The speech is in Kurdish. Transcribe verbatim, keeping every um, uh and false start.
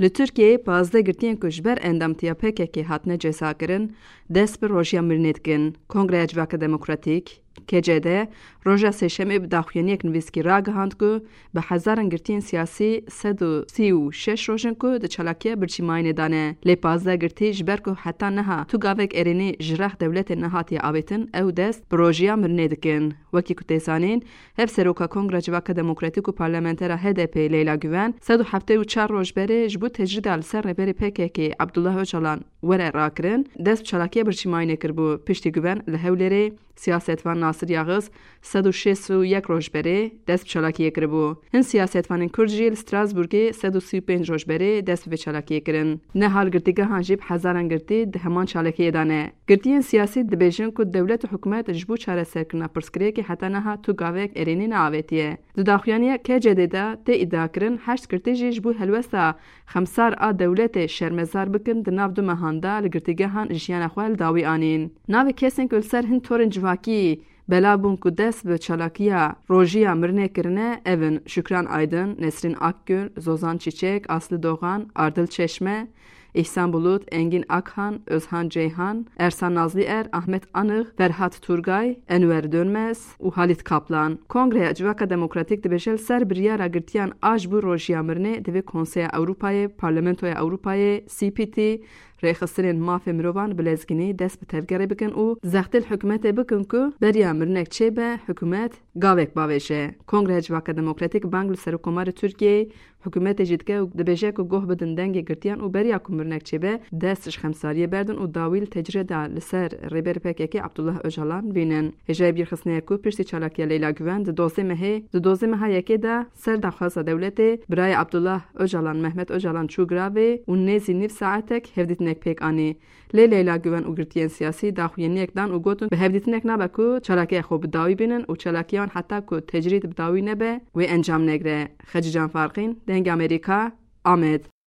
Li Tirkiyeyê pazdeh girtiyên ku ji ber endamtiya P K K hatine cezakirin, dest bi rojiya mirinê dikin. Kongreya Civaka Demokratîk, K C D, roja Sêşemê bi daxuyaniyek nivîskî ragihand ku bi hezaran girtiyên siyasî sed û sî û şeş roj in ku di çalakiya birçîmayînê de ne. Lê pazdeh girtî ji ber ku heta niha tu gavek erênî ji rex dewletê nehatiye avêtin, ew dest bi rojiya mirinê dikin. Wekî ku tê zanîn, Hevseroka Kongra Civaka Demokratîk û Parlamentera H D P Leyla Güven, sed û heftê û çar roj berê ji bo tecrîda li ser rêberê P K K Abdullah Ocalan were rakirin, dest bi çalakiya birçîmayînê kiribû. Piştî Güven li Hewlêrê, siyasetvan Nasir Yagiz, sed û şêst û yek roj berê dest bi çalakiyê kiribû. Hin siyasetvanên Kurd jî li Strasbourgê sed û sî û pênc roj berê dest bi vê çalakiyê kirin. Niha li girtîgehan jî bi hezaran girtî di heman çalakiyê de ne. Girtiyên siyasî dibêjin ku dewlet û hikûmet ji bo çareserkirina pirsgirêkê heta niha tu gavek erênî neavêtiye. Di daxuyaniya K C D de tê îdiakirin heşt girtî jî ji bo helwesta xemsar a dewletê şermezar bikin, di nav du mehan de li girtîgehan jiyana xwe li dawî anîn. Navê kesên ku li ser hin torên civakî belav bûn ku dest bi çalakiya rojiya mirinê kirine, ev in: Şükran Aydın, Nesrin Akgül, Zozan Çiçek, Aslı Doğan, Ardıl Çeşme, Îhsan Bulut, Engin Akhan, Özhan Ceyhan, Ersan Nazlıer, Ahmet Anık, Ferhat Turgay, Enver Dönmez û Halit Kaplan. Kongreya Civaka Demokratîk dibêje, li ser biryara girtiyan a ji bo rojiya mirinê divê Konseya Ewropayê, Parlamentoya Ewropayê, C P T, rêxistinên mafê mirovan bi lezgînî dest bi tevgerê bikin û zextê li hikûmetê bikin ku beriya mirinek çêbe, hikûmet gavek bavêje. Kongreya Civaka Demokratîk bang li Serokkomarê Tirkiyeyê, hikûmetê jî dike û dibêje ku guh bidin dengê girtiyan û beriya ku mirinek çêbe, dest ji xemsariyê berdin û dawî li tecrîda li ser rêberê P K K Abdullah Ocalan bînin. Hêjayî bîrxistinê ye ku piştî çalakiya Leyla Güven di dozdeh mehê, di dozdeh meha yekê de ser daxwaza dewletê, birayê Abdullah Ocalan, Mehmet Ocalan, çû giravê û nêzî nîv saetek hevdîtinek pêk anî. Lê Leyla Güven û girtiyên siyasî daxuyaniyek dan û gotin, bi hevdîtinek nabe ku çalakiya xwe bi dawî bînin û çalakiya wan heta ku tecrîd bi dawî nebe, wê encam negire. Xecîcan Farqîn, Dengê Amerîka, Amed.